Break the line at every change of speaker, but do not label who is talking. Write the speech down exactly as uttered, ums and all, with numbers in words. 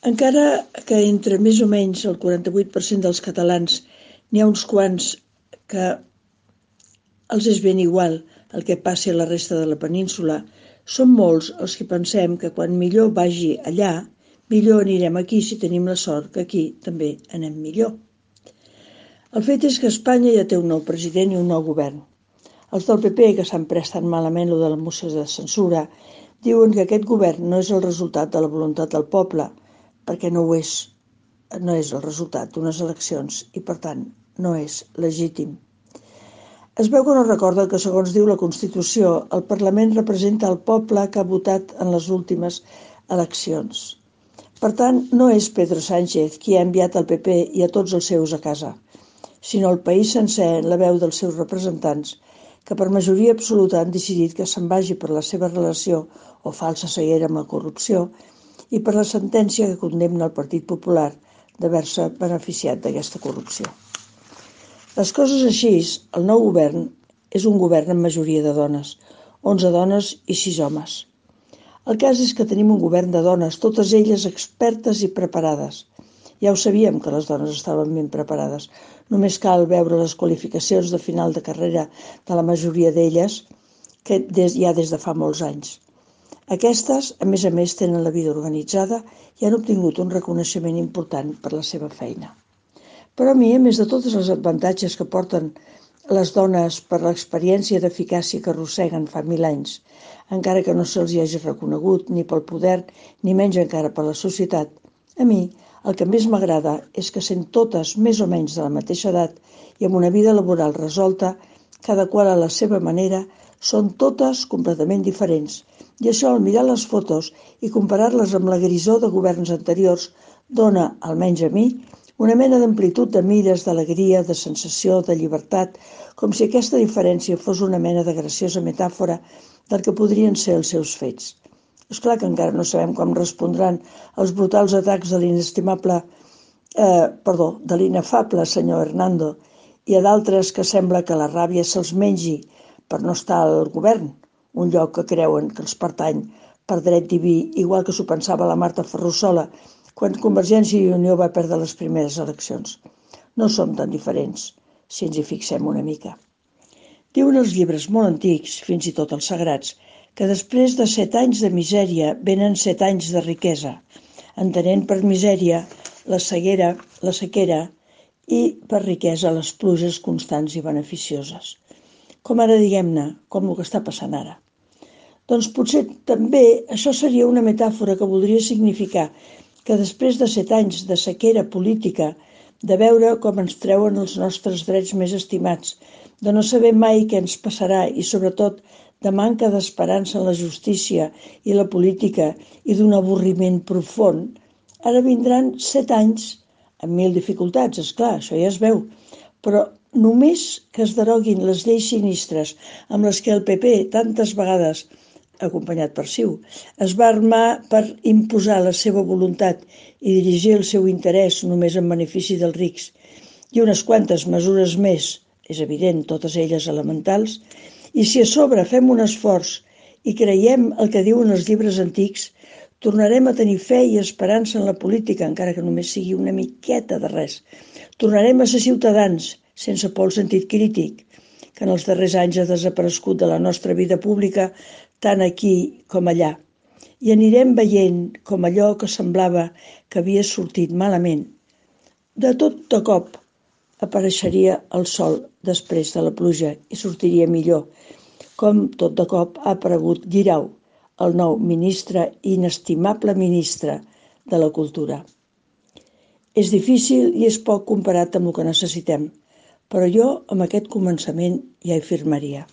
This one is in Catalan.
Encara que entre més o menys el quaranta-vuit per cent dels catalans n'hi ha uns quants que els és ben igual el que passi a la resta de la península, som molts els que pensem que quan millor vagi allà, millor anirem aquí si tenim la sort que aquí també anem millor. El fet és que Espanya ja té un nou president i un nou govern. Els del P P, que s'han pres tan malament lo de la moció de censura, diuen que aquest govern no és el resultat de la voluntat del poble, perquè no ho és, no és el resultat d'unes eleccions i, per tant, no és legítim. Es veu que no recorden que, segons diu la Constitució, el Parlament representa el poble que ha votat en les últimes eleccions. Per tant, no és Pedro Sánchez qui ha enviat al P P i a tots els seus a casa, sinó el país sencer en la veu dels seus representants, que per majoria absoluta han decidit que se'n vagi per la seva relació o falsa ceguera amb la corrupció i per la sentència que condemna el Partit Popular d'haver-se beneficiat d'aquesta corrupció. Les coses així, el nou govern és un govern amb majoria de dones, onze dones i sis homes. El cas és que tenim un govern de dones, totes elles expertes i preparades. Ja ho sabíem que les dones estaven ben preparades. Només cal veure les qualificacions de final de carrera de la majoria d'elles, que des, ja des de fa molts anys. Aquestes, a més a més, tenen la vida organitzada i han obtingut un reconeixement important per la seva feina. Però a mi, a més de tots els avantatges que porten les dones per l'experiència d'eficàcia que arrosseguen fa mil anys, encara que no se'ls hi hagi reconegut ni pel poder ni menys encara per la societat, a mi el que més m'agrada és que sent totes més o menys de la mateixa edat i amb una vida laboral resolta, cada qual a la seva manera, són totes completament diferents. I això, al mirar les fotos i comparar-les amb la grisor de governs anteriors, dona, almenys a mi, una mena d'amplitud de mires, d'alegria, de sensació, de llibertat, com si aquesta diferència fos una mena de graciosa metàfora del que podrien ser els seus fets. És clar que encara no sabem com respondran els brutals atacs de l'inestimable, eh, perdó, de l'inefable senyor Hernando i a d'altres que sembla que la ràbia se'ls mengi per no estar al govern, un lloc que creuen que els pertany per dret diví, igual que s'ho pensava la Marta Ferrusola, quan Convergència i Unió va perdre les primeres eleccions. No som tan diferents, si ens hi fixem una mica. Diuen els llibres molt antics, fins i tot els sagrats, que després de set anys de misèria venen set anys de riquesa, entenent per misèria la ceguera, la sequera i per riquesa les pluges constants i beneficioses. Com ara, diguem-ne, com el que està passant ara. Doncs potser també això seria una metàfora que voldria significar que després de set anys de sequera política, de veure com ens treuen els nostres drets més estimats, de no saber mai què ens passarà i, sobretot, de manca d'esperança en la justícia i la política i d'un avorriment profund, ara vindran set anys amb mil dificultats, és clar, això ja es veu, però només que es deroguin les lleis sinistres amb les que el P P tantes vegades acompanyat per C I U, es va armar per imposar la seva voluntat i dirigir el seu interès només en benefici dels rics, i unes quantes mesures més, és evident, totes elles elementals, i si a sobre fem un esforç i creiem el que diuen els llibres antics, tornarem a tenir fe i esperança en la política, encara que només sigui una miqueta de res. Tornarem a ser ciutadans, sense por al sentit crític, que en els darrers anys ha desaparegut de la nostra vida pública tant aquí com allà, i anirem veient com allò que semblava que havia sortit malament, de tot de cop apareixeria el sol després de la pluja i sortiria millor, com tot de cop ha aparegut Guirao, el nou ministre i inestimable ministre de la Cultura. És difícil i és poc comparat amb el que necessitem, però jo amb aquest començament ja hi firmaria.